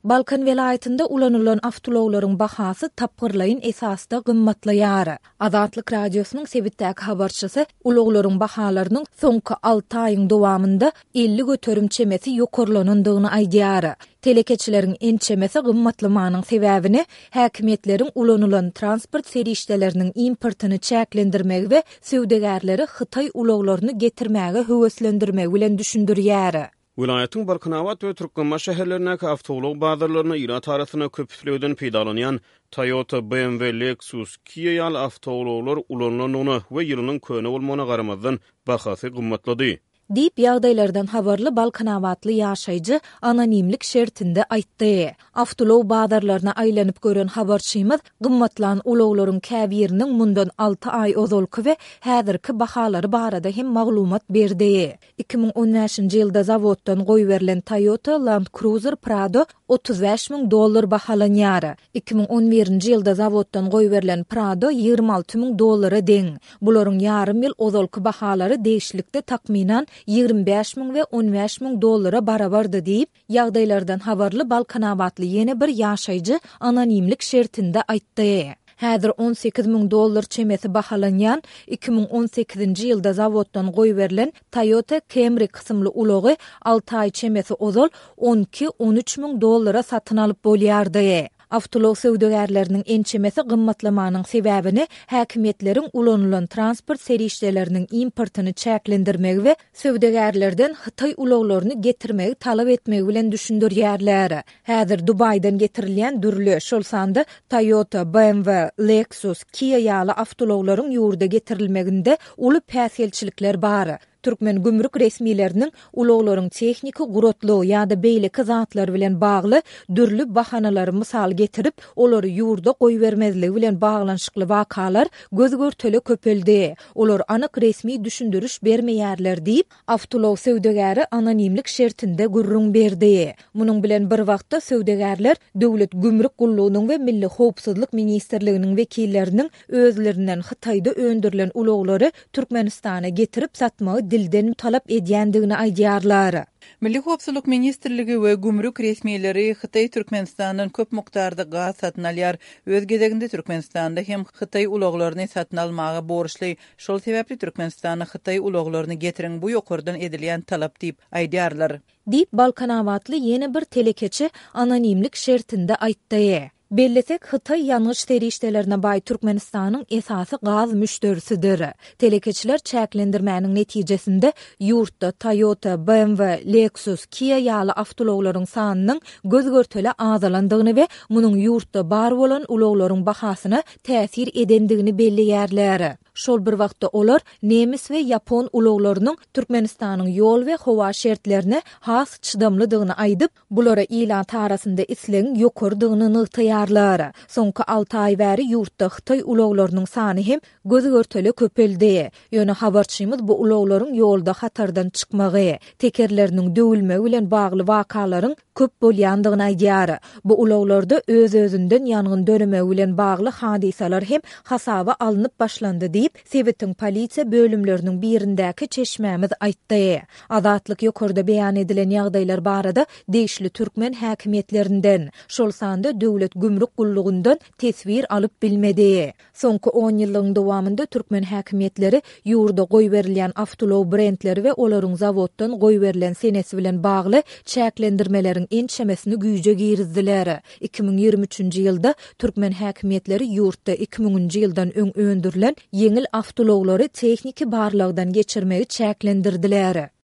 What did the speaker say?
Balkan welaýatynda ulanylan awtoulaglaryň bahasy tapgyrlaýyn esasda gymmatlaýar. Azatlyk Radiosynyň sebitdäki habarçysy ulaglaryň bahalarynyň soňky alty aýyň dowamynda 50% çemesi ýokarlanandygyny aýdýar. Telekeçileriň ençemesi gymmatlamanyň sebäbini häkimiýetleriň ulanylan transport serişdeleriniň importyny çäklendirmegi we söwdagärleri hytaý ulaglaryny getirmäge höweslendirmegi bilen düşündirýär. Welaýatyň Balkanabat we Türkmenbaşy şäherlerindäki awtoulag bazarlarynda ilat arasynda köp islegden peýdalanýan Toyota, BMW, Lexus, Kia ýaly awtoulaglar ulanylandygyna we ýylynyň köne bolmagyna garamazdan, bahasy gymmatlady. Diýip, ýagdaýlardan habarly balkanabatly ýaşaýjy anonimlik şertinde aýtdy. Awtoulag bazarlaryna aýlanyp gören habarçymyz gymmatlan ulaglaryň käbiriniň mundan alty aý ozalky we häzirki bahalary barada hem maglumat berdi. 2015-nji ýylda zawoddan goýberilen Toyota Land Cruiser Prado 35 müň dollar bahalanýar. 2011-nji ýylda zawoddan goýberilen Prado 26 müň dollara deň. Bularyň ýarym ýyl ozalky bahalary degişlilikde takmynan 25 müň we 15 müň dollara barabardy diýip, Ýagdaýlardan habarly balkanabatly ýene bir ýaşaýjy anonimlik şertinde aýtdy. Häzir 18 müň dollar çemesi bahalanýan, 2018-nji ýylda zawoddan goýberilen Toyota Camry kysymly ulagy alty aý çemesi ozal on iki, on üç müň dollara satyn alyp bolýardy. Awtoulag söwdagärleriniň ençemesi gymmatlamanyň sebäbini häkimiýetleriň ulanylan transport serişdeleriniň importyny çäklendirmegi we söwdagärlerden hytaý ulaglaryny getirmegi talap etmegi bilen düşündirýärler. Häzir Dubaýdan getirilýän dürli, şol sanda Toyota, BMW, Lexus, Kia ýaly awtoulaglaryň ýurda getirilmeginde uly päsgelçilikler bar. Türkmen gümrük resmileriniň ulaglaryň tehniki guratlygy ýa-da beýleki zatlar bilen bagly dürli bahanalary mysal getirip, olary ýurda goýbermezligi bilen baglanyşykly wakalar göz-görtele köpeldi. Olar anyk resmi düşündiriş bermeýärler diýip, awtoulag söwdagäri anonimlik şertinde gürrüň berdi. Munuň bilen bir wagtda, söwdagärler Döwlet gümrük gullugynyň we Milli howpsuzlyk ministrliginiň wekilleriniň özlerinden Hytaýda öndürilen ulaglary Türkmenistana getirip satmagy dilden talap edýändigini aýdýarlar. Milli howpsuzlyk ministrligi we gümrük resmileri Hytaý Türkmenistandan köp mukdarda gaz satyn alýar. Öz gezeginde Türkmenistanda hem hytaý ulaglaryny satyn almaga borçly. Şol sebäpli Türkmenistana hytaý ulaglaryny getiriň bu ýokardan edilýän talap diýip aýdýarlar. Diýip, balkanabatly ýene bir telekeçi anonimlik şertinde aýtdy. Bellesek, Hytaý ýangyç serişdelerine baý Türkmenistanyň esasy gaz müşderisidir. Telekeçiler çäklendirmäniň netijesinde ýurtda Toyota, BMW, Lexus, Kia ýaly awtoulaglaryň sanynyň göz-görtele azalandygyny we munuň ýurtda bar bolan ulaglaryň bahasyna täsir edendigini belleýärler. Şol bir wagtda olar nemes we ýapon ulaglarynyň Türkmenistanyň ýol we howa şertlerine has çydamlydygyny aýdyp, Bulara ilat arasynda islegiň ýokarydygyny nygtaýarlar. Soňky alty aý bäri ýurtda hytaý ulaglarynyň sany hem göz-görtele köpeldi. Ýöne habarçymyz bu ulaglaryň ýolda hatardan çykmagy, tekerleriniň döwülmegi bilen bagly wakalaryň köp bolýandygyny aýdýar. Bu ulaglarda öz-özünden ýangyn döremegi bilen bagly hadysalar hem hasaba alnyp başlandy diýip, sebitiň polisiýa bölümleriniň birindäki çeşmämiz aýtdy. Azatlyk ýokarda beýan edilen ýagdaýlar barada degişli türkmen häkimiýetlerinden, şol sanda Döwlet gümrük gullugyndan teswir alyp bilmedi. Soňky onýyllygyň dowamynda türkmen häkimiýetleri ýurda goýberilýän awtoulag brendleri we olaryň zawoddan goýberilen senesi bilen bagly çäklendirmeleriň ençemesini güýje girizdiler. 2023-nji ýylda türkmen häkimiýetleri ýurtda iki müňünji ýyldan öň öndürilen ýeňil awtoulaglary tehniki barlagdan geçirmegi çäklendirdiler.